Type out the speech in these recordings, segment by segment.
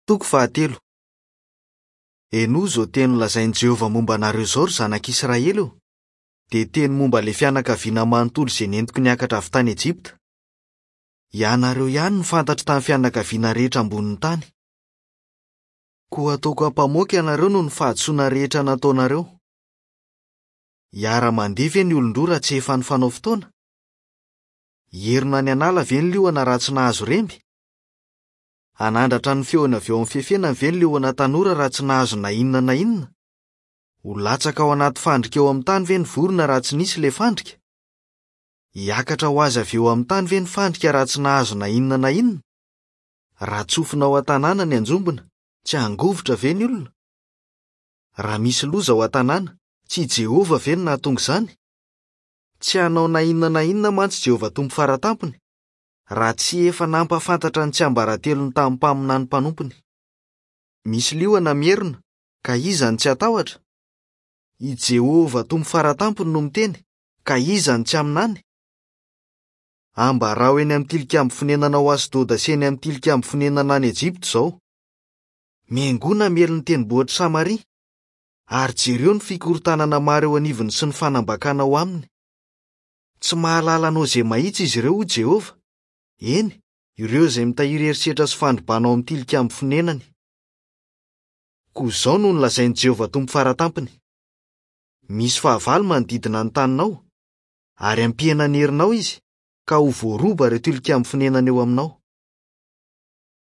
Toko fahatelo. Henoy izao teny nolazain'i Jehovah momba anareo izao, ry zanak'Israely ô, dia teny momba ilay fianakaviana manontolo izay nentiko niakatra avy tany Ejipta. Ianareo ihany no fantatro tamin'ny fianakaviana rehetra ambonin'ny tany. Koa hataoko ampamoaka ianareo noho ny fahadisoana rehetra nataonareo. Hiara-mandeha ve ny olon-droa raha tsy efa nifanao fotoana? Hierona any an'ala ve ny liona raha tsy nahazo remby? Hanandratra ny feony avy eo amin'ny fefenany ve ny liona tanora raha tsy nahazo na inona na inona? Ho latsaka ao anaty fandrika eo amin'ny tany ve ny vorona raha tsy nisy ilay fandrika? Hiakatra ho azy avy eo amin'ny tany ve ny fandrika raha tsy nahazo na inona na inona? Raha tsofina ao an-tanàna ny anjombona, tsy hangovitra ve ny olona? Raha misy loza ao an-tanàna, tsy i Jehovah ve no nahatonga izany? Tsy hanao na inona na inona mantsy Jehovah Tompo Fara Tampony, raha tsy efa nampahafantatra ny tsiambaratelony tamin'ny mpaminany mpanompony. Misy liona mierona, ka iza no tsy hatahotra? I Jehovah Tompo Fara Tampony no miteny, ka iza no tsy haminany? Ambarao eny amin'ny tilikambo fonenana ao Asdoda sy eny amin'ny tilikambo fonenana any Ejipta izao. Miangona miely ny tendrombohitr'i Samaria, ary jereo ny fikorontanana maro eo anivony sy ny fanambakana ao aminy. Tsy mahalala anao izay mahitsy izy ireo, hoy Jehovah, eny, ireo izay mitahiry herisetra sy fandrobana ao amin'ny tilikambo fonenany. Koa izao no nolazain'i Jehovah Tompo Fara Tampony, Misy fahavalo manodidina ny taninao, ary hampihena ny herinao izy, ka ho voaroba ireo tilikambo fonenana eo aminao.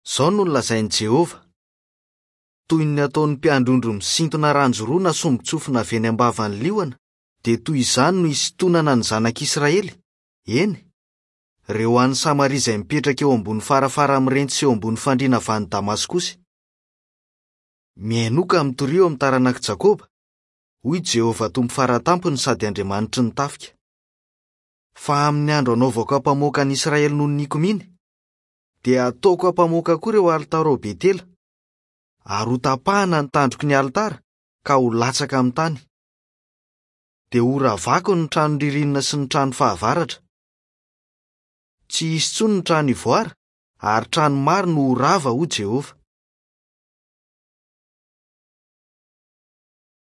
Izao no nolazain'i Jehovah, Toy ny ataon'ny mpiandry ondry misintona ranjoroa na sombin-tsofina avy eny am-bavan'ny liona, dia toy izany no hisintonana ny zanak'Israely, eny, ireo any Samaria izay mipetraka eo ambony farafara mirenty sy eo ambony fandriana avy any Damaskosy. Mihainoa ka mitoria eo amin'ny taranak'i Jakoba, hoy Jehovah Tompo Fara Tampony sady Andriamanitry ny tafika. Fa amin'ny andro hanaovako ampamoaka an'i Israely noho ny nikomiany, dia hataoko ampamoaka koa ireo alitara ao Betela, ary hotapahana ny tandroky ny alitara ka ho latsaka amin'ny tany. Dia horavako ny trano ririnina sy ny trano fahavaratra. Tsy hisy intsony ny trano ivoara, ary trano maro no ho rava, hoy Jehovah.